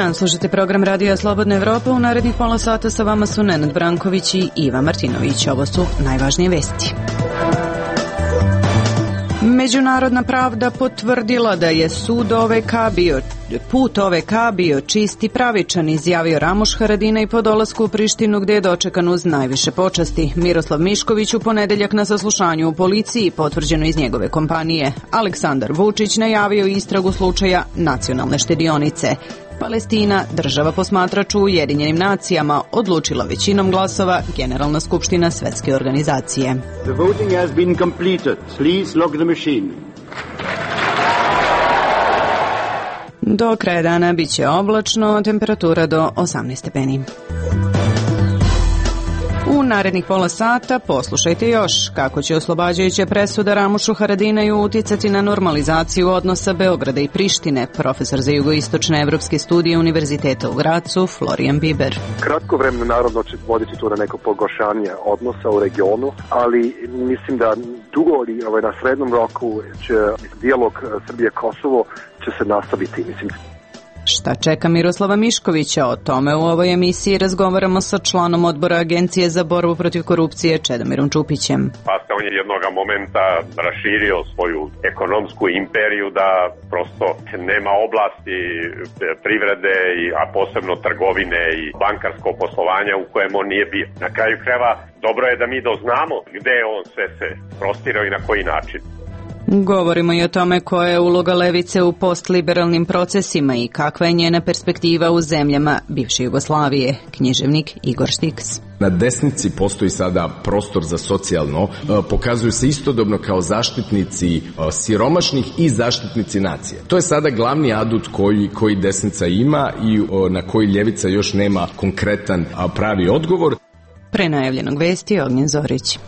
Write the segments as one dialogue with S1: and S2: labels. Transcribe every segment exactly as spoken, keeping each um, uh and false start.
S1: dan, slušate program Radija Slobodna Evropa. U narednih pola sata sa vama su Nenad Branković i Iva Martinović. Ovo su najvažnije vesti. Međunarodna pravda potvrdila da je sud O V K bio, put O V K bio čist i pravičan, izjavio Ramuš Haradinaj po dolasku u Prištinu, gde je dočekan uz najviše počasti. Miroslav Mišković u ponedeljak na saslušanju u policiji, potvrđeno iz njegove kompanije. Aleksandar Vučić najavio istragu slučaja nacionalne štedionice. Palestina, država posmatrač u Ujedinjenim nacijama, odlučila većinom glasova Generalna skupština Svetske organizacije.
S2: The voting has been completed. Please log the machine.
S1: Do kraja dana biće oblačno, temperatura do osamnaest stepeni. U narednih pola sata poslušajte još kako će oslobađajuća presuda Ramušu Haradinaju uticati na normalizaciju odnosa Beograda i Prištine. Profesor za jugoistočne evropske studije Univerziteta u Gracu, Florijan Biber.
S3: Kratko vremena naravno će voditi tu na neko pogoršanje odnosa u regionu, ali mislim da dugo ili ovaj, na srednjem roku će dijalog Srbije-Kosovo će se nastaviti, mislim.
S1: Šta čeka Miroslava Miškovića? O tome u ovoj emisiji razgovaramo sa članom odbora Agencije za borbu protiv korupcije Čedomirom Čupićem.
S4: Pa se on je jednog momenta raširio svoju ekonomsku imperiju da prosto nema oblasti privrede, a posebno trgovine i bankarsko poslovanja u kojem on nije bio. Na kraju krajeva dobro je da mi doznamo gde on sve se prostirao i na koji način.
S1: Govorimo i o tome koja je uloga levice u postliberalnim procesima i kakva je njena perspektiva u zemljama bivše Jugoslavije. Književnik Igor Štiks.
S5: Na desnici postoji sada prostor za socijalno, pokazuju se istodobno kao zaštitnici siromašnih i zaštitnici nacije. To je sada glavni adut koji, koji desnica ima i na koji ljevica još nema konkretan pravi odgovor.
S1: Pre najavljenog vesti Ognjen Zorić.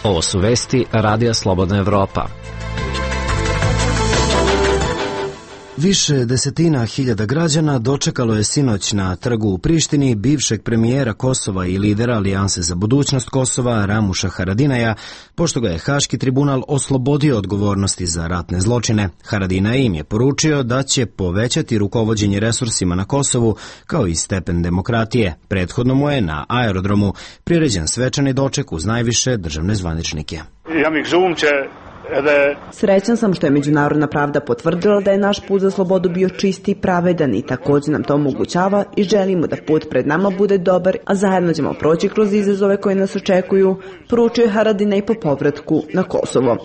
S6: Ovo su vesti Radija Slobodna Evropa.
S7: Više desetina hiljada građana dočekalo je sinoć na trgu u Prištini bivšeg premijera Kosova i lidera Alijanse za budućnost Kosova Ramuša Haradinaja, pošto ga je Haški tribunal oslobodio odgovornosti za ratne zločine. Haradinaj im je poručio da će povećati rukovođenje resursima na Kosovu kao i stepen demokratije. Prethodno mu je na aerodromu priređen svečani doček uz najviše državne zvaničnike.
S8: Ja mi žumče
S9: Srećan sam što je međunarodna pravda potvrdila da je naš put za slobodu bio čist i pravedan i također nam to omogućava i želimo da put pred nama bude dobar, a zajedno ćemo proći kroz izazove koje nas očekuju, poručio je Haradinaj po povratku na Kosovo.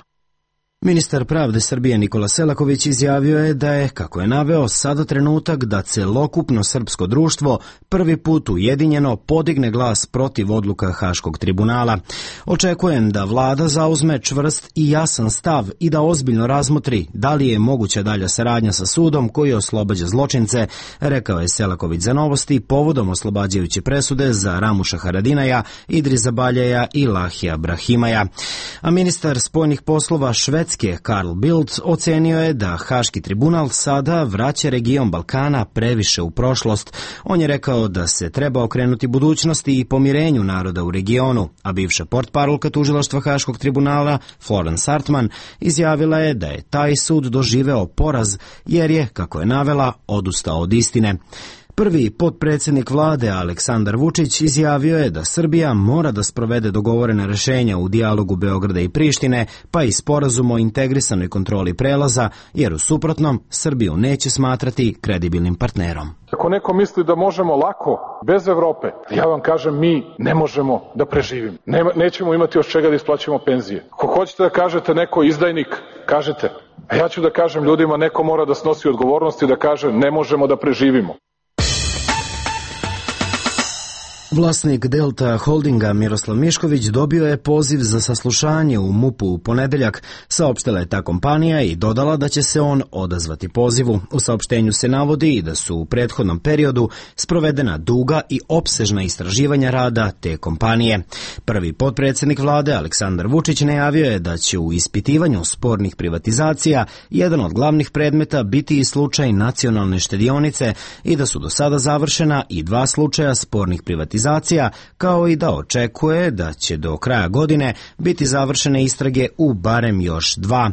S7: Ministar pravde Srbije Nikola Selaković izjavio je da je, kako je naveo, sada trenutak da celokupno srpsko društvo prvi put ujedinjeno podigne glas protiv odluka Haškog tribunala. Očekujem da vlada zauzme čvrst i jasan stav i da ozbiljno razmotri da li je moguća dalja saradnja sa sudom koji oslobađa zločince, rekao je Selaković za Novosti povodom oslobađajuće presude za Ramuša Haradinaja, Idrisa Baljeja i Lahija Brahimaja. A ministar spoljnih poslova Švedske Carl Bildt ocenio je da Haški tribunal sada vraća region Balkana previše u prošlost. On je rekao da se treba okrenuti budućnosti i pomirenju naroda u regionu, a bivša portparolka tužilaštva Haškog tribunala Florence Hartman izjavila je da je taj sud doživeo poraz jer je, kako je navela, odustao od istine. Prvi potpredsjednik vlade Aleksandar Vučić izjavio je da Srbija mora da sprovede dogovorena rešenja u dijalogu Beograda i Prištine, pa i sporazum o integrisanoj kontroli prelaza, jer u suprotnom Srbiju neće smatrati kredibilnim partnerom.
S10: Ako neko misli da možemo lako, bez Evrope, ja vam kažem, mi ne možemo da preživimo. Ne, nećemo imati od čega da isplaćamo penzije. Ako hoćete da kažete neko izdajnik, kažete. A ja ću da kažem ljudima, neko mora da snosi odgovornost i da kaže ne možemo da preživimo.
S7: Vlasnik Delta Holdinga Miroslav Mišković dobio je poziv za saslušanje u MUP-u u ponedeljak, saopštila je ta kompanija i dodala da će se on odazvati pozivu. U saopštenju se navodi i da su u prethodnom periodu sprovedena duga i opsežna istraživanja rada te kompanije. Prvi potpredsjednik vlade Aleksandar Vučić najavio je da će u ispitivanju spornih privatizacija jedan od glavnih predmeta biti i slučaj nacionalne štedionice i da su do sada završena i dva slučaja spornih privatizacija, kao i da očekuje da će do kraja godine biti završene istrage u barem još dva.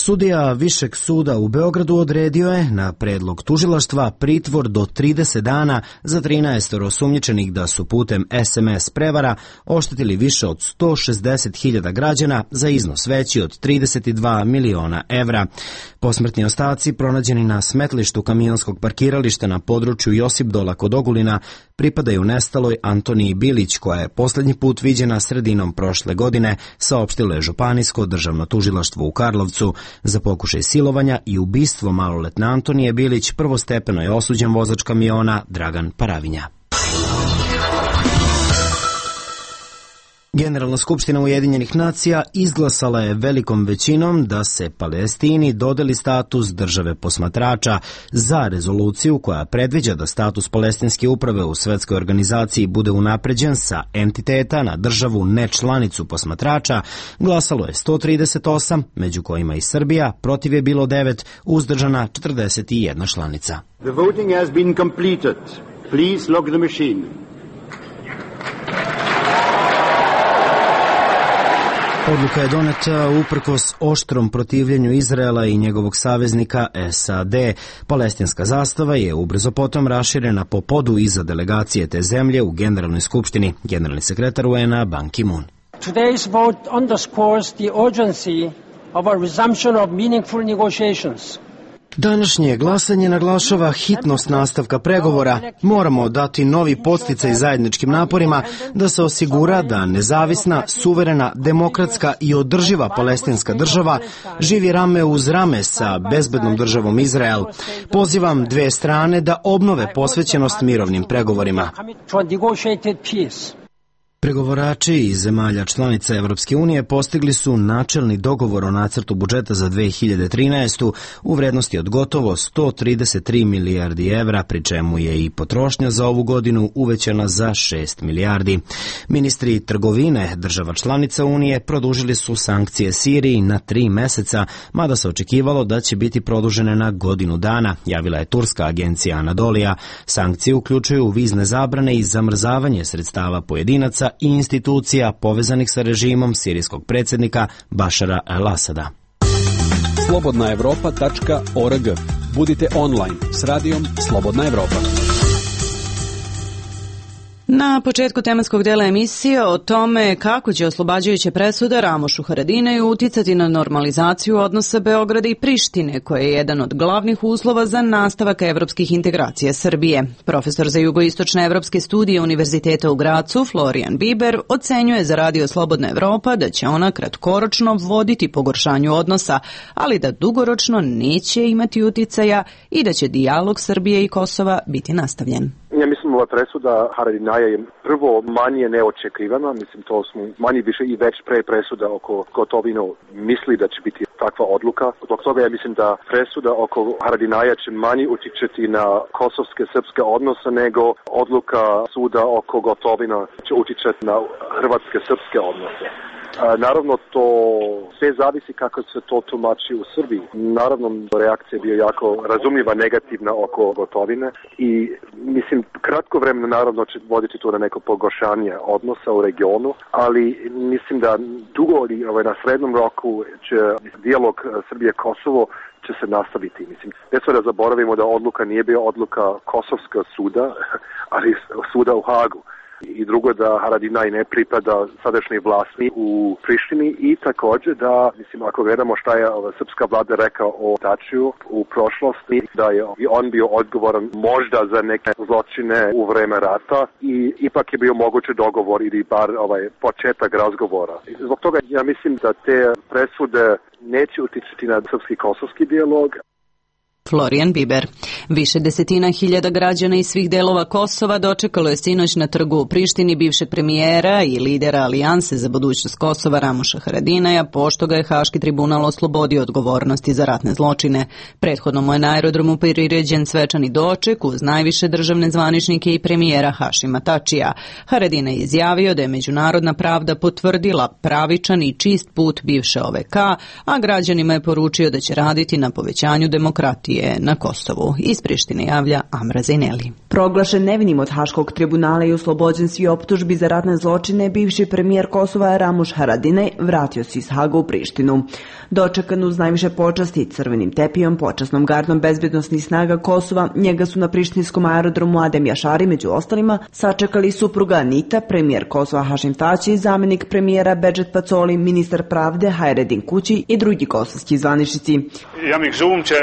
S7: Sudija Višeg suda u Beogradu odredio je na predlog tužilaštva pritvor do trideset dana za trinaest osumnjičenih da su putem es em es prevara oštetili više od sto šezdeset hiljada građana za iznos veći od trideset dva miliona evra. Posmrtni ostaci pronađeni na smetlištu kamionskog parkirališta na području Josipdola kod Ogulina pripadaju nestaloj Antoniji Bilić, koja je poslednji put viđena sredinom prošle godine, saopštilo je Županijsko državno tužilaštvo u Karlovcu. Za pokušaj silovanja i ubistvo maloletne Antonije Bilić prvostepeno je osuđen vozač kamiona Dragan Paravinja. Generalna skupština Ujedinjenih nacija izglasala je velikom većinom da se Palestini dodeli status države posmatrača za rezoluciju koja predviđa da status palestinske uprave u svetskoj organizaciji bude unapređen sa entiteta na državu nečlanicu posmatrača. Glasalo je sto trideset osam, među kojima i Srbija, protiv je bilo devet, uzdržana četrdeset jedna članica.
S2: The voting has been completed. Please log the machine.
S7: Odluka je doneta uprkos oštrom protivljenju Izraela i njegovog saveznika es a de. Palestinska zastava je ubrzo potom raširena po podu iza delegacije te zemlje u Generalnoj skupštini. Generalni sekretar u en a Ban Ki-moon.
S8: Today's vote underscores the urgency of a resumption of meaningful negotiations.
S7: Današnje glasanje naglašava hitnost nastavka pregovora. Moramo dati novi podsticaj zajedničkim naporima da se osigura da nezavisna, suverena, demokratska i održiva palestinska država živi rame uz rame sa bezbednom državom Izrael. Pozivam dve strane da obnove posvećenost mirovnim pregovorima. Pregovorači iz zemalja članica Evropske unije postigli su načelni dogovor o nacrtu budžeta za dve hiljade trinaestu u vrednosti od gotovo sto trideset tri milijardi evra, pri čemu je i potrošnja za ovu godinu uvećana za šest milijardi. Ministri trgovine država članica Unije produžili su sankcije Siriji na tri meseca, mada se očekivalo da će biti produžene na godinu dana, javila je turska agencija Anadolija. Sankcije uključuju vizne zabrane i zamrzavanje sredstava pojedinaca i institucija povezanih sa režimom sirijskog predsjednika Bašara el-Asada.
S11: slobodna evropa tačka org. Budite online s radijom Slobodna Evropa.
S1: Na početku tematskog dela emisije o tome kako će oslobađajuće presude Ramošu Haradinaju uticati na normalizaciju odnosa Beograda i Prištine, koji je jedan od glavnih uslova za nastavak evropskih integracija Srbije. Profesor za jugoistočne evropske studije Univerziteta u Gracu, Florian Biber, ocenjuje za Radio Slobodna Evropa da će ona kratkoročno voditi pogoršanju odnosa, ali da dugoročno neće imati uticaja i da će dijalog Srbije i Kosova biti nastavljen.
S3: Ja mislim ova presuda Haradinaja je prvo manje neočekivana, mislim to smo manje više i već pre presuda oko Gotovino misli da će biti takva odluka. Zbog toga ja mislim da presuda oko Haradinaja će manje utičeti na kosovske srpske odnose nego odluka suda oko Gotovina će utičeti na hrvatske srpske odnose. Naravno, to sve zavisi kako se to tumači u Srbiji. Naravno, reakcija je bio jako razumljiva, negativna oko Gotovine i mislim, kratko vremena naravno će voditi to na neko pogoršanje odnosa u regionu, ali mislim da dugo ovaj, na srednjem roku će dijalog Srbije-Kosovo će se nastaviti. Mislim, ne sve da zaboravimo da odluka nije bila odluka Kosovskog suda, ali suda u Hagu. I drugo da Haradinaj ne pripada sadašnjoj vlasti u Prištini i također da, mislim, ako gledamo šta je srpska vlada rekao o Tačiju u prošlosti, da je on bio odgovoran možda za neke zločine u vreme rata i ipak je bio mogući dogovor ili bar ovaj početak razgovora. Zbog toga ja mislim da te presude neće utičiti na srpski-kosovski dijalog.
S1: Florian Biber. Više desetina hiljada građana iz svih delova Kosova dočekalo je sinoć na trgu u Prištini bivšeg premijera i lidera Alijanse za budućnost Kosova Ramoša Haradinaja, pošto ga je Haški tribunal oslobodio odgovornosti za ratne zločine. Prethodno mu je na aerodromu priređen svečani doček uz najviše državne zvaničnike i premijera Hašima Tačija. Haradinaj je izjavio da je međunarodna pravda potvrdila pravičan i čist put bivše O V K, a građanima je poručio da će raditi na povećanju demokratije je na Kosovu. Iz Prištine javlja Amra Zejneli.
S9: Proglašen nevinim od Haškog tribunala i oslobođen svi optužbi za ratne zločine, bivši premijer Kosova Ramuš Haradinaj vratio se iz Haga u Prištinu. Dočekan uz najviše počasti crvenim tepijom, počasnom gardom bezbednosnih snaga Kosova, njega su na prištinskom aerodromu Adem Jašari među ostalima sačekali supruga Anita, premijer Kosova Hašim Tači, zamenik premijera Bedžet Pacoli, ministar pravde Hajredin Kući i drugi kosovski zvaničnici.
S12: Ja mi žumče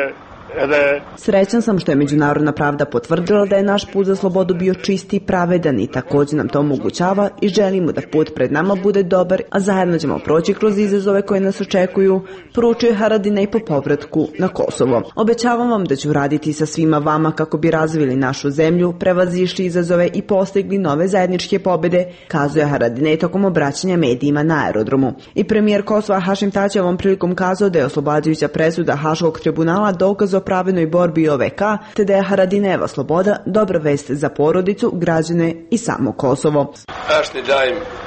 S9: Srećan sam što je međunarodna pravda potvrdila da je naš put za slobodu bio čist i pravedan i također nam to omogućava i želimo da put pred nama bude dobar, a zajedno ćemo proći kroz izazove koje nas očekuju, poručuje Haradinaj po povratku na Kosovo. Obećavam vam da ću raditi sa svima vama kako bi razvili našu zemlju, prevazišli izazove i postigli nove zajedničke pobjede, kazuje Haradinaj tokom obraćanja medijima na aerodromu. I premijer Kosova Hašim Tači ovom prilikom kazao da je oslobađajuća presuda Haškog tribunala dokaz o pravednoj borbi O V K, te da je Haradinajeva sloboda dobra vest za porodicu, građane i samo Kosovo.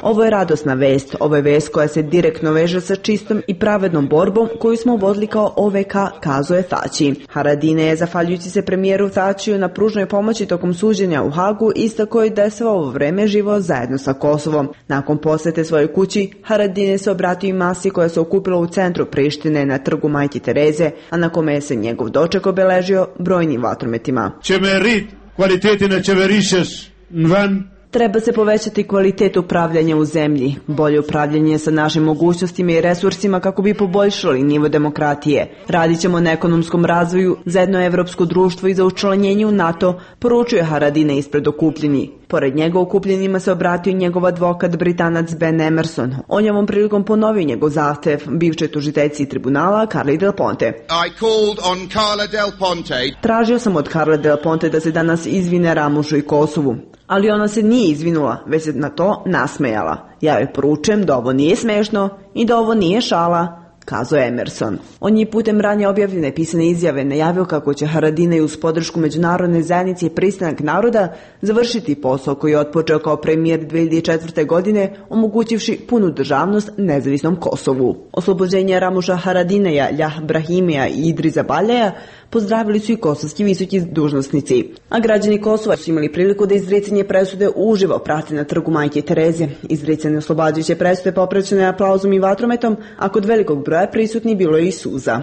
S9: Ovo je radosna vest, ovo je vest koja se direktno veže sa čistom i pravednom borbom koju smo vodili kao O V K, kazuje Tači. Haradinaj je, zahvaljujući se premijeru Tačiju na pružnoj pomoći tokom suđenja u Hagu, istakao je da je svo ovo vreme živao zajedno sa Kosovom. Nakon posete svojoj kući, Haradinaj se obratio i masi koja se okupila u centru Prištine na trgu Majke Tereze, a na kome se njegov doček obeležio brojnim vatrometima.
S12: Čemerit, kvalitetine čeverišeš, van.
S9: Treba se povećati kvalitet upravljanja u zemlji, bolje upravljanje sa našim mogućnostima i resursima kako bi poboljšali nivo demokratije. Radit ćemo na ekonomskom razvoju, za jedno evropsko društvo i za učlanjenje u NATO, poručuje Haradinaj ispred okupljeni. Pored njega okupljenima se obratio njegov advokat Britanac Ben Emerson. On je ovom prilikom ponovio njegov zahtev bivšoj tužiteljici tribunala Carli Del Ponte.
S13: I called on Carla Del Ponte.
S9: Tražio sam od Carla Del Ponte da se danas izvine Ramušu i Kosovu. Ali ona se nije izvinula, već se na to nasmejala. Ja joj poručujem da ovo nije smešno i da ovo nije šala, kazuje Emerson. On je putem ranije objavljene pisane izjave najavio kako će Haradinaj uz podršku međunarodne zajednice i pristanak naroda završiti posao koji je otpočeo kao premijer dve hiljade četvrte. godine, omogućivši punu državnost nezavisnom Kosovu. Oslobođenje Ramuša Haradinaja, Ljah Brahimija i Idrisa Baljaja pozdravili su i kosovski visoki dužnosnici. A građani Kosova su imali priliku da izricanje presude uživo prate na trgu Majke Tereze. Izricanje oslobađajuće presude popraćene aplauzom i vatrometom, a kod velikog broja prisutni bilo je i suza.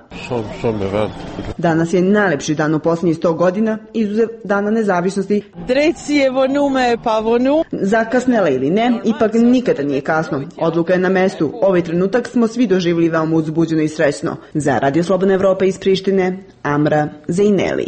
S9: Danas je najlepši dan u posljednjih sto godina, izuzev dana nezavisnosti.
S14: Drecijevo nume pa vonu.
S9: Zakasnela ili ne, ipak nikada nije kasno. Odluka je na mestu. Ovaj trenutak smo svi doživjeli veoma uzbuđeno i srećno. Za Radio Slobodna Evropa iz Prištine, Amra Zejneli.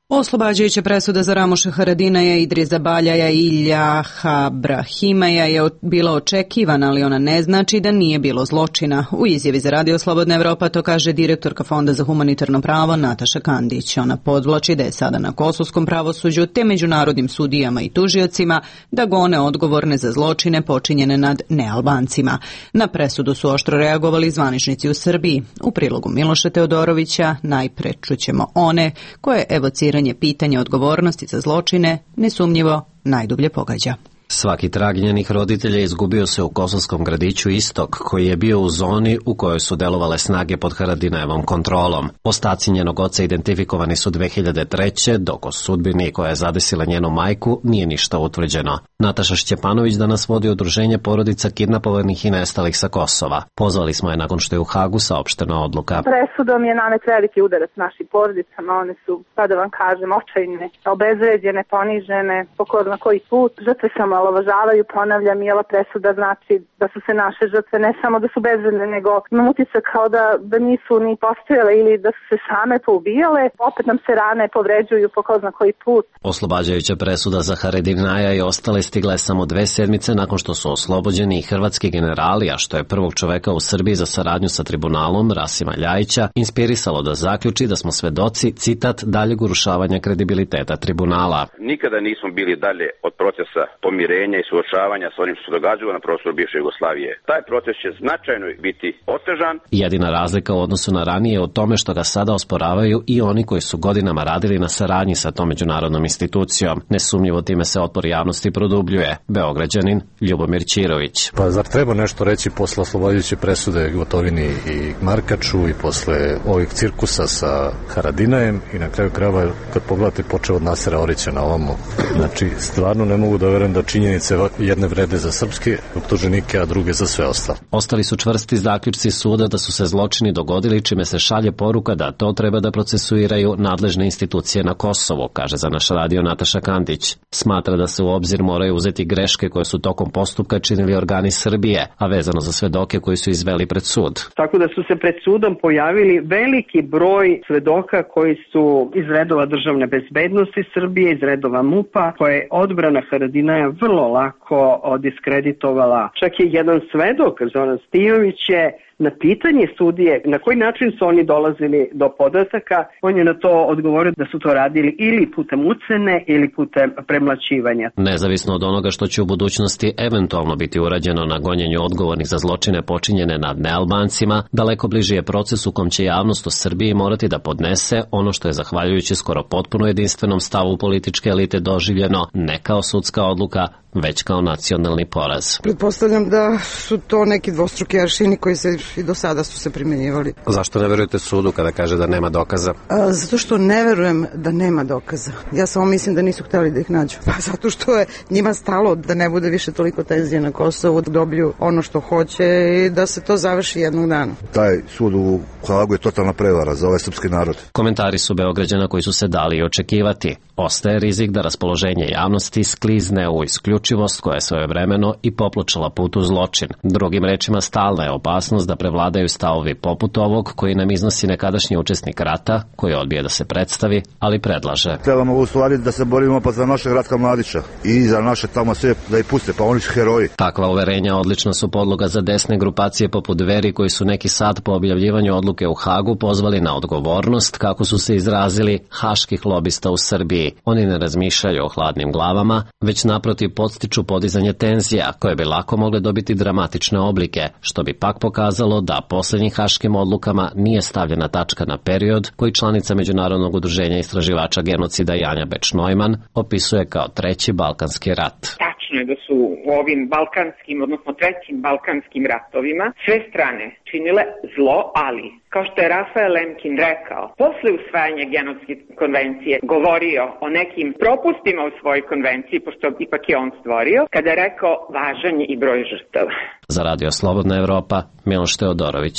S1: Oslobađajuća presuda za Ramuša Haradinaja, Idrisa Baljaja i Ljaha Brahimaja je bila očekivana, ali ona ne znači da nije bilo zločina. U izjavi za Radio Slobodna Evropa to kaže direktorka Fonda za humanitarno pravo Nataša Kandić. Ona podvlači da je sada na kosovskom pravosuđu te međunarodnim sudijama i tužiocima da gone odgovorne za zločine počinjene nad nealbancima. Na presudu su oštro reagovali zvaničnici u Srbiji. U prilogu Miloša Teodorovića najpre čućemo one koje evociraju pitanje odgovornosti za zločine nesumnjivo najdublje pogađa.
S6: Svaki trag njenih roditelja izgubio se u kosovskom gradiću Istok, koji je bio u zoni u kojoj su delovale snage pod Haradinajevom kontrolom. Ostaci njenog oca identifikovani su dve hiljade treće. dok o sudbini koja je zadesila njenu majku nije ništa utvrđeno. Nataša Šćepanović danas vodi udruženje porodica kidnapovanih i nestalih sa Kosova. Pozvali smo je nakon što je u Hagu saopštena odluka.
S15: Presudom je nanet veliki udarac našim porodicama. One su, pa da vam kažem, očajne, obezvređene, ponižene, po ko zna koji put. Žrtve sam omalovažavaju, ponavljam, i ova presuda znači da su se naše žrtve ne samo da su bezvredne, nego imam utisak kao da, da nisu ni postojale ili da su se same poubijale. Opet nam se rane povređuju po ko zna koji put.
S6: Oslobađajuća presuda za Haradinaja i ostale stigla je samo dve sedmice nakon što su oslobođeni i hrvatski generali, a što je prvog čoveka u Srbiji za saradnju sa tribunalom, Rasima Ljajića, inspirisalo da zaključi da smo svedoci, citat, daljeg urušavanja kredibiliteta tribunala.
S16: Nikada nismo bili dalje od procesa pomirenja i suočavanja s onim što se događalo na prostoru bivše Jugoslavije. Taj proces će značajno biti otežan.
S6: Jedina razlika u odnosu na ranije je u tome što ga sada osporavaju i oni koji su godinama radili na saradnji sa tom međunarodnom institucijom. Nesumnjivo time se otpor javnosti produžava produbljuje Beograđanin Ljubomir Ćirović.
S17: Pa zar treba nešto reći posle oslobođujuće presude Gotovini i Markaču i posle ovih cirkusa sa Haradinajem i na kraju krajeva kad pogledate počeo od Nasera Orića na ovamo. Znači stvarno ne mogu da verujem da činjenice jedne vrede za srpske optuženike, a druge za sve ostalo.
S6: Ostali su čvrsti zaključci suda da su se zločini dogodili, čime se šalje poruka da to treba da procesuiraju nadležne institucije na Kosovu, kaže za naš radio Nataša Kandić. Smatra da se u obzir moraju uzeti greške koje su tokom postupka činili organi Srbije, a vezano za svedoke koji su izveli pred sud.
S18: Tako da su se pred sudom pojavili veliki broj svedoka koji su iz redova državne bezbednosti Srbije, iz redova MUP-a, koje je odbrana Haradinaja vrlo lako diskreditovala. Čak je jedan svedok, Zoran Stijović, je na pitanje sudije na koji način su oni dolazili do podataka, on je na to odgovorio da su to radili ili putem ucene ili putem premlaćivanja.
S6: Nezavisno od onoga što će u budućnosti eventualno biti urađeno na gonjenju odgovornih za zločine počinjene nad nealbancima, daleko bliži je proces u kom će javnost u Srbiji morati da podnese ono što je zahvaljujući skoro potpuno jedinstvenom stavu političke elite doživljeno ne kao sudska odluka, već kao nacionalni poraz.
S19: Pretpostavljam da su to neki dvostruki aršini koji se i do sada su se primjenjivali.
S6: Zašto ne verujete sudu kada kaže da nema dokaza?
S19: A, zato što ne verujem da nema dokaza. Ja samo mislim da nisu hteli da ih nađu. Pa zato što je njima stalo da ne bude više toliko tenzije na Kosovu, da dobiju ono što hoće i da se to završi jednog dana.
S20: Taj sud u Hagu je totalna prevara za ovaj srpski narod.
S6: Komentari su Beograđana koji su se dali očekivati. Ostaje rizik da raspoloženje javnosti sklizne u isključivost koja je svojevremeno i popločala put u zločin. Drugim rečima, stalna je opasnost da prevladaju stavovi poput ovog koji nam iznosi nekadašnji učesnik rata, koji odbije da se predstavi, ali predlaže.
S20: Trebamo u stvari da se borimo pa za našeg Ratka Mladića i za naše tamo sve da ih puste, pa oni su heroji.
S6: Takva uverenja odlična su podloga za desne grupacije poput Dveri koji su neki sad po objavljivanju odluke u Hagu pozvali na odgovornost, kako su se izrazili, haških lobista u Srbiji. Oni ne razmišljaju o hladnim glavama, već naprotiv podstiču podizanje tenzija, koje bi lako mogle dobiti dramatične oblike, što bi pak pokazalo da posljednjim haškim odlukama nije stavljena tačka na period koji članica Međunarodnog udruženja istraživača genocida Janja Beč-Neumann opisuje kao treći Balkanski rat.
S21: Tačno je da su u ovim balkanskim, odnosno trećim balkanskim ratovima sve strane činile zlo, ali, kao što je Rafael Lemkin rekao, posle usvajanja genocid konvencije govorio o nekim propustima u svojoj konvenciji, pošto ipak je on stvorio, kada je rekao važan je i broj žrtava.
S6: Za Radio Slobodna Evropa, Miloš Teodorović.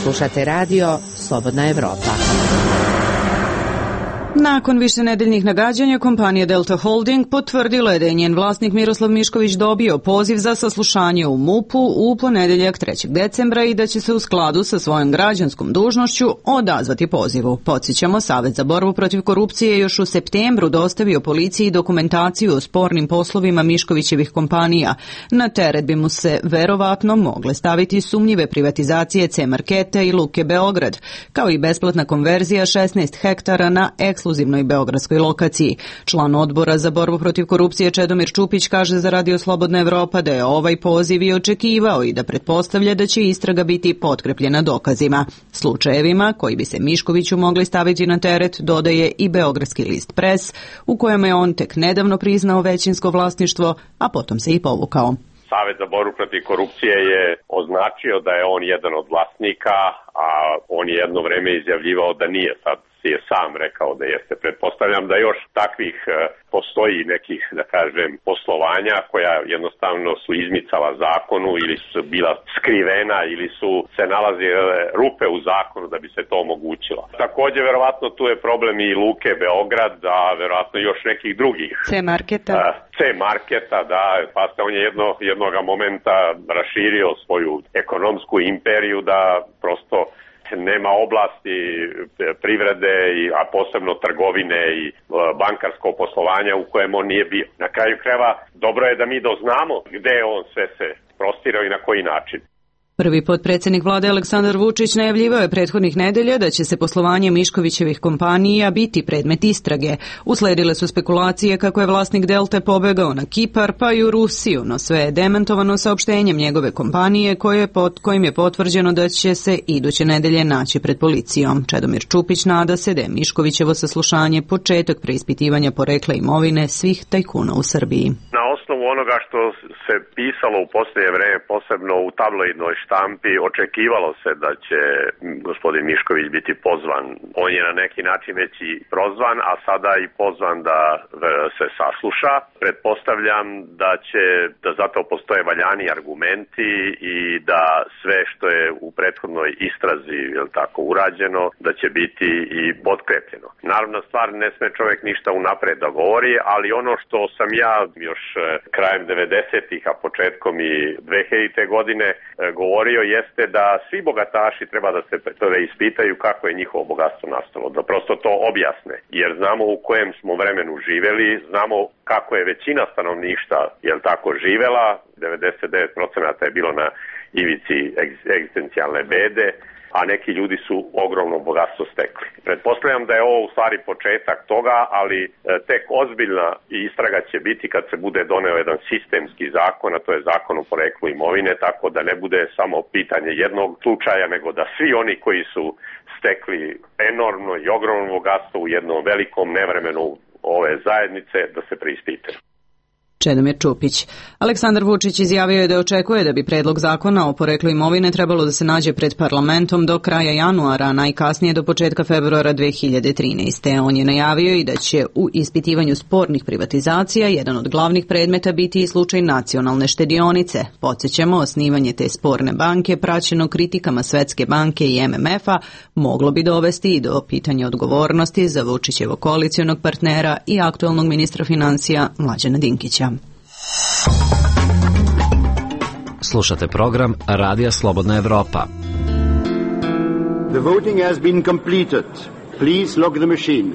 S22: Slušate radio Slobodna Evropa.
S1: Nakon višenedeljnih nagađanja, kompanija Delta Holding potvrdila je da je njen vlasnik Miroslav Mišković dobio poziv za saslušanje u MUP-u u ponedeljak trećeg decembra i da će se u skladu sa svojom građanskom dužnošću odazvati pozivu. Podsjećamo, Savet za borbu protiv korupcije još u septembru dostavio policiji dokumentaciju o spornim poslovima Miškovićevih kompanija. Na teret bi mu se verovatno mogle staviti sumnjive privatizacije C-marketa i Luke Beograd, kao i besplatna konverzija šesnaest hektara na ekskluzivnoj beogradskoj lokaciji. Član odbora za borbu protiv korupcije Čedomir Čupić kaže za Radio Slobodna Evropa da je ovaj poziv i očekivao i da pretpostavlja da će istraga biti potkrepljena dokazima. Slučajevima koji bi se Miškoviću mogli staviti na teret dodaje i beogradski list Pres, u kojem je on tek nedavno priznao većinsko vlasništvo, a potom se i povukao.
S4: Savet za borbu protiv korupcije je označio da je on jedan od vlasnika, a on je jedno vreme izjavljivao da nije, sad si je sam rekao da jeste. Pretpostavljam da još takvih postoji nekih, da kažem, poslovanja koja jednostavno su izmicala zakonu ili su bila skrivena ili su se nalazile rupe u zakonu da bi se to omogućilo. Također, verovatno tu je problem i Luke Beograd, a verovatno još nekih drugih.
S1: C-marketa.
S4: C-marketa, da, pa ste on je jedno, jednoga momenta raširio svoju ekonomsku imperiju da prosto nema oblasti privrede, a posebno trgovine i bankarsko poslovanja u kojem on nije bio. Na kraju krajeva, dobro je da mi doznamo gde je on sve se prostirao i na koji način.
S1: Prvi potpredsjednik vlade Aleksandar Vučić najavljivao je prethodnih nedelja da će se poslovanje Miškovićevih kompanija biti predmet istrage. Usledile su spekulacije kako je vlasnik Delte pobegao na Kipar pa i u Rusiju, no sve je demantovano saopštenjem njegove kompanije koje pod kojim je potvrđeno da će se iduće nedelje naći pred policijom. Čedomir Čupić nada se da je Miškovićevo saslušanje početak preispitivanja porekla imovine svih tajkuna u Srbiji.
S4: Na osnovu onoga što se pisalo u posljednje vreme, posebno u tabloidnoj štampi, očekivalo se da će gospodin Mišković biti pozvan. On je na neki način već i prozvan, a sada i pozvan da se sasluša. Pretpostavljam da će, da zato postoje valjani argumenti i da sve što je u prethodnoj istrazi, je li tako, urađeno, da će biti i potkrepljeno. Naravno, stvar ne sme čovjek ništa unapred da govori, ali ono što sam ja još krajem devedesetih, a početkom i dvehiljadite godine govorio jeste da svi bogataši treba da se ispitaju kako je njihovo bogatstvo nastalo, da prosto to objasne, jer znamo u kojem smo vremenu živeli, znamo kako je većina stanovništva, jel tako, živela, devedeset devet posto je bilo na ivici egzistencijalne bede, a neki ljudi su ogromno bogatstvo stekli. Pretpostavljam da je ovo u stvari početak toga, ali tek ozbiljna istraga će biti kad se bude doneo jedan sistemski zakon, a to je zakon o poreklu imovine, tako da ne bude samo pitanje jednog slučaja, nego da svi oni koji su stekli enormno i ogromno bogatstvo u jednom velikom nevremenu ove zajednice, da se preispitaju.
S1: Čedomir Čupić. Aleksandar Vučić izjavio je da očekuje da bi predlog zakona o poreklu imovine trebalo da se nađe pred parlamentom do kraja januara, a najkasnije do početka februara dve hiljade trinaeste. On je najavio i da će u ispitivanju spornih privatizacija jedan od glavnih predmeta biti i slučaj nacionalne štedionice. Podsjećamo, osnivanje te sporne banke, praćeno kritikama Svetske banke i M M F-a, moglo bi dovesti i do pitanja odgovornosti za Vučićevog koalicionog partnera i aktuelnog ministra financija Mlađana Dinkića.
S6: Slušate program Radija Slobodna Evropa.
S2: The voting has been completed. Please log the machine.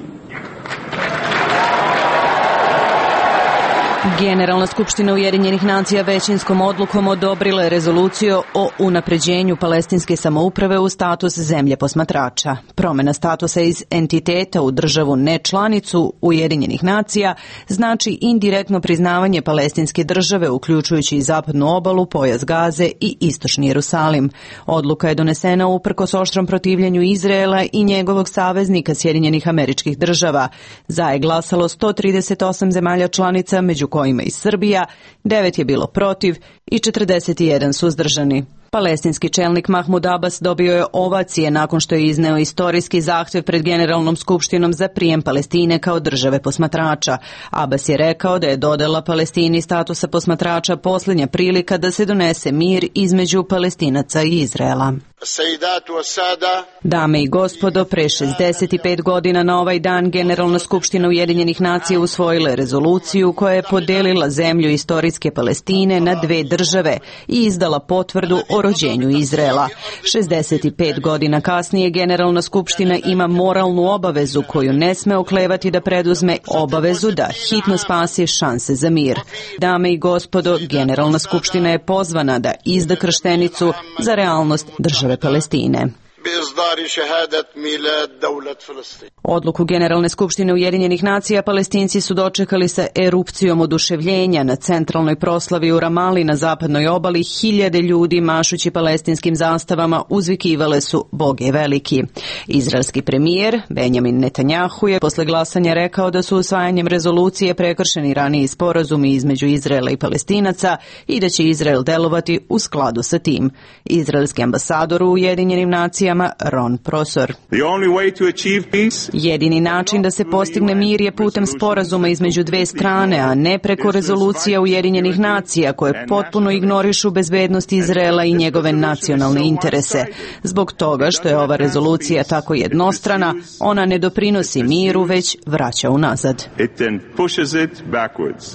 S1: Generalna skupština Ujedinjenih nacija većinskom odlukom odobrila je rezoluciju o unapređenju palestinske samouprave u status zemlje posmatrača. Promjena statusa iz entiteta u državu nečlanicu Ujedinjenih nacija znači indirektno priznavanje palestinske države, uključujući i zapadnu obalu, pojas Gaze i istočni Jerusalim. Odluka je donesena uprkos oštrom protivljenju Izraela i njegovog saveznika Sjedinjenih Američkih Država. Za je glasalo sto trideset osam zemalja članica, među kojima i Srbija, devet je bilo protiv i četrdeset jedan suzdržani. Palestinski čelnik Mahmud Abbas dobio je ovacije nakon što je izneo istorijski zahtjev pred Generalnom skupštinom za prijem Palestine kao države posmatrača. Abbas je rekao da je dodela Palestini statusa posmatrača posljednja prilika da se donese mir između Palestinaca i Izraela. Dame i gospodo, pre šezdeset pet godina na ovaj dan Generalna skupština Ujedinjenih nacija usvojila je rezoluciju koja je podelila zemlju istorijske Palestine na dve države i izdala potvrdu o rođenju Izraela. šezdeset pet godina kasnije Generalna skupština ima moralnu obavezu koju ne sme oklevati da preduzme, obavezu da hitno spasi šanse za mir. Dame i gospodo, Generalna skupština je pozvana da izda krštenicu za realnost države Palestine. Odluku Generalne skupštine Ujedinjenih nacija Palestinci su dočekali sa erupcijom oduševljenja. Na centralnoj proslavi u Ramali na zapadnoj obali hiljade ljudi mašući palestinskim zastavama uzvikivale su Bog je veliki. Izraelski premijer Benjamin Netanjahu je posle glasanja rekao da su usvajanjem rezolucije prekršeni raniji sporazumi između Izraela i Palestinaca i da će Izrael delovati u skladu sa tim. Izraelski ambasador u Ujedinjenim nacijama Ron Prosor. Jedini način da se postigne mir je putem sporazuma između dve strane, a ne preko rezolucija Ujedinjenih nacija koje potpuno ignorišu bezbednost Izraela i njegove nacionalne interese. Zbog toga što je ova rezolucija tako jednostrana, ona ne doprinosi miru, već vraća unazad.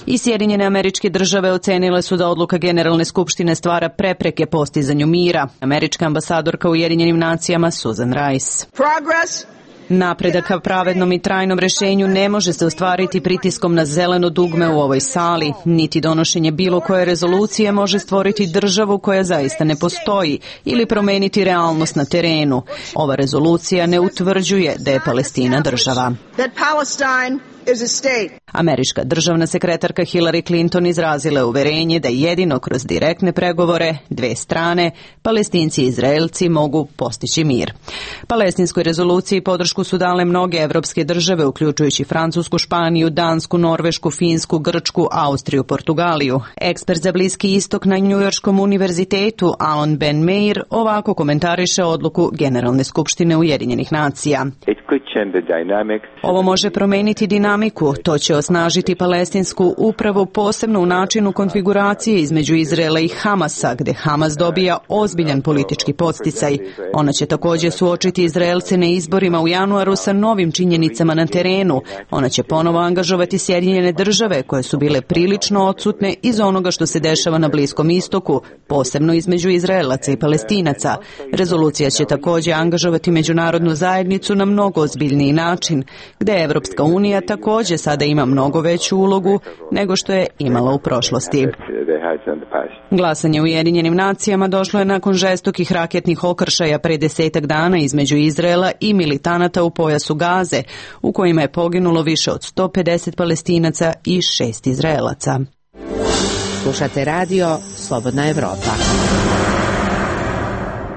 S1: I Sjedinjene Američke Države ocenile su da odluka Generalne skupštine stvara prepreke postizanju mira. Američka ambasadorka u Ujedinjenim nacijama Susan Rice. Napredak ka pravednom i trajnom rešenju ne može se ostvariti pritiskom na zeleno dugme u ovoj sali, niti donošenje bilo koje rezolucije može stvoriti državu koja zaista ne postoji ili promeniti realnost na terenu. Ova rezolucija ne utvrđuje da je Palestina država. Američka državna sekretarka Hillary Clinton izrazila je uverenje da jedino kroz direktne pregovore dve strane, Palestinci i Izraelci, mogu postići mir. Palestinskoj rezoluciji podršku su dale mnoge evropske države, uključujući Francusku, Španiju, Dansku, Norvešku, Finsku, Grčku, Austriju, Portugaliju. Ekspert za Bliski istok na Njujorškom univerzitetu Alon Ben Meir ovako komentariše odluku Generalne skupštine Ujedinjenih nacija. Ovo može promeniti dinamiku, to će osnažiti palestinsku upravu, posebno u načinu konfiguracije između Izraela i Hamasa, gde Hamas dobija ozbiljan politički podsticaj. Ona će također suočiti Izraelce na izborima u januaru sa novim činjenicama na terenu. Ona će ponovo angažovati Sjedinjene države, koje su bile prilično odsutne iz onoga što se dešava na Bliskom istoku, posebno između Izraelaca i Palestinaca. Rezolucija će također angažovati međunarodnu zajednicu na mnogo ozbiljniji način, gde Evropska unija također sada ima mnogo veću ulogu nego što je imala u prošlosti. Glasanje u Ujedinjenim nacijama došlo je nakon žestokih raketnih okršaja pre desetak dana između Izraela i militanata u pojasu Gaze, u kojima je poginulo više od sto pedeset Palestinaca i šest Izraelaca.
S22: Slušate radio Slobodna Evropa.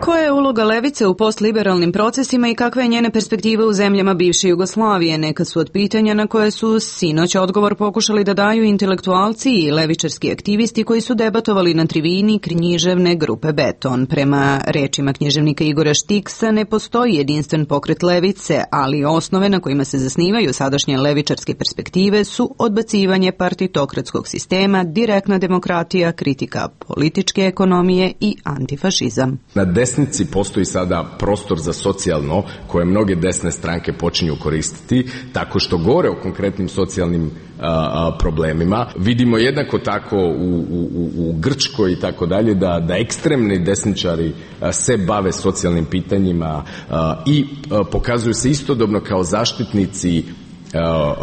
S1: Koja je uloga levice u postliberalnim procesima i kakve je njene perspektive u zemljama bivše Jugoslavije? Neka su od pitanja na koje su sinoć odgovor pokušali da daju intelektualci i levičarski aktivisti koji su debatovali na tribini književne grupe Beton. Prema rečima književnika Igora Štiksa ne postoji jedinstven pokret levice, ali osnove na kojima se zasnivaju sadašnje levičarske perspektive su odbacivanje partitokratskog sistema, direktna demokratija, kritika političke ekonomije i antifašizam.
S5: Na desnici postoji sada prostor za socijalno koje mnoge desne stranke počinju koristiti tako što govore o konkretnim socijalnim a, a, problemima. Vidimo jednako tako u, u, u Grčkoj i tako dalje da, da ekstremni desničari a, se bave socijalnim pitanjima a, i a, pokazuju se istodobno kao zaštitnici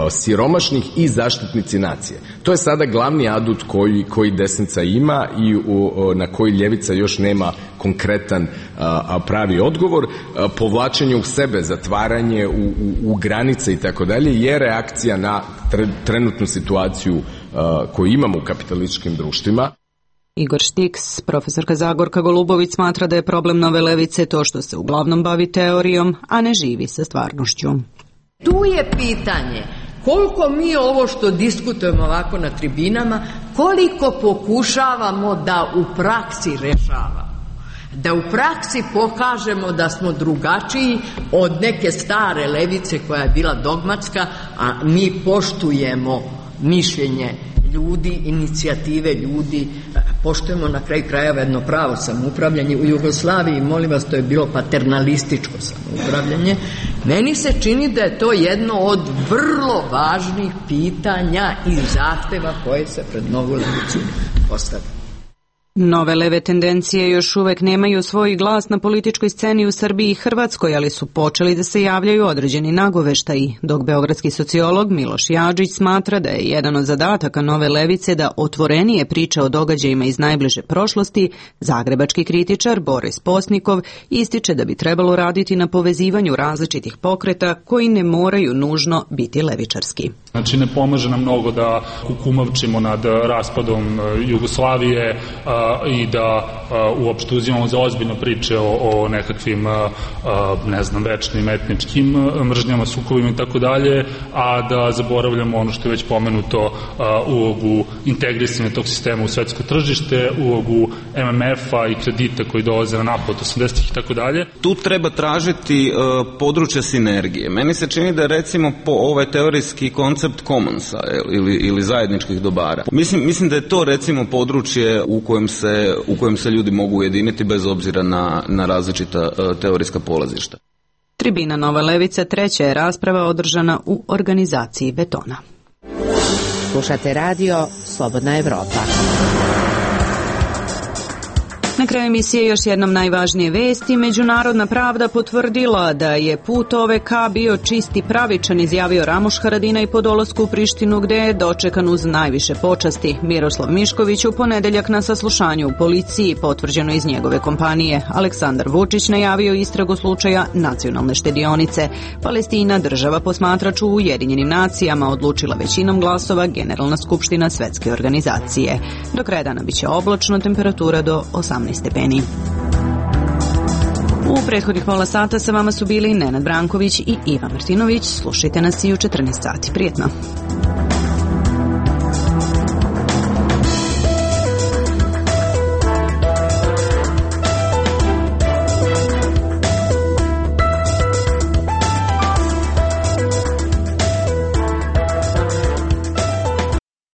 S5: siromašnih i zaštitnici nacije. To je sada glavni adut koji, koji desnica ima i u, na koji ljevica još nema konkretan a, pravi odgovor. A, povlačenje u sebe, zatvaranje u, u, u granice i tako dalje je reakcija na tre, trenutnu situaciju a, koju imamo u kapitalističkim društvima.
S1: Igor Štiks, profesorka Zagorka Golubović, smatra da je problem nove levice to što se uglavnom bavi teorijom, a ne živi sa stvarnošću.
S10: Tu je pitanje koliko mi ovo što diskutujemo ovako na tribinama, koliko pokušavamo da u praksi rešavamo. Da u praksi pokažemo da smo drugačiji od neke stare levice koja je bila dogmatska, a mi poštujemo mišljenje ljudi, inicijative ljudi, poštujemo na kraju krajeva jedno pravo samoupravljanje. U Jugoslaviji, molim vas, to je bilo paternalističko samoupravljanje. Meni se čini da je to jedno od vrlo važnih pitanja i zahteva koje se pred novu levicu postavlja.
S1: Nove leve tendencije još uvek nemaju svoj glas na političkoj sceni u Srbiji i Hrvatskoj, ali su počeli da se javljaju određeni nagoveštaji, dok beogradski sociolog Miloš Jadžić smatra da je jedan od zadataka nove levice da otvorenije priča o događajima iz najbliže prošlosti. Zagrebački kritičar Boris Posnikov ističe da bi trebalo raditi na povezivanju različitih pokreta koji ne moraju nužno biti levičarski.
S23: Znači ne pomaže nam mnogo da kukumavčimo nad raspadom Jugoslavije i da uopšte uzimamo za ozbiljno priče o, o nekakvim, ne znam, večnim etničkim mržnjama, sukobima i tako dalje, a da zaboravljamo ono što je već pomenuto, ulogu integrisanja tog sistema u svetsko tržište, ulogu M M F-a i kredita koji dolaze na napad osamdesetih i tako dalje.
S24: Tu treba tražiti uh, područje sinergije. Meni se čini da recimo po ovaj teorijski koncept commonsa ili, ili zajedničkih dobara. Mislim, mislim da je to recimo područje u kojem se, u kojem se ljudi mogu ujediniti bez obzira na, na različita uh, teorijska polazišta.
S1: Tribina Nova levica treća je rasprava održana u organizaciji Betona.
S22: Slušate radio Slobodna Evropa.
S1: Na kraju emisije još jednom najvažnije vesti. Međunarodna pravda potvrdila da je put O V K bio čist i pravičan, izjavio Ramuš Haradinaj po dolasku u Prištinu, gde je dočekan uz najviše počasti. Miroslav Mišković u ponedeljak na saslušanju u policiji, potvrđeno iz njegove kompanije. Aleksandar Vučić najavio istragu slučaja nacionalne štedionice. Palestina, država posmatrač u Ujedinjenim nacijama, odlučila većinom glasova Generalna skupština Svetske organizacije. Do kraja dana biće oblačno, temperatura do osamnaest stepeni. U prethodnih pola sata sa vama su bili Nenad Branković i Iva Martinović. Slušajte nas i u četrnaest sati. Prijetno.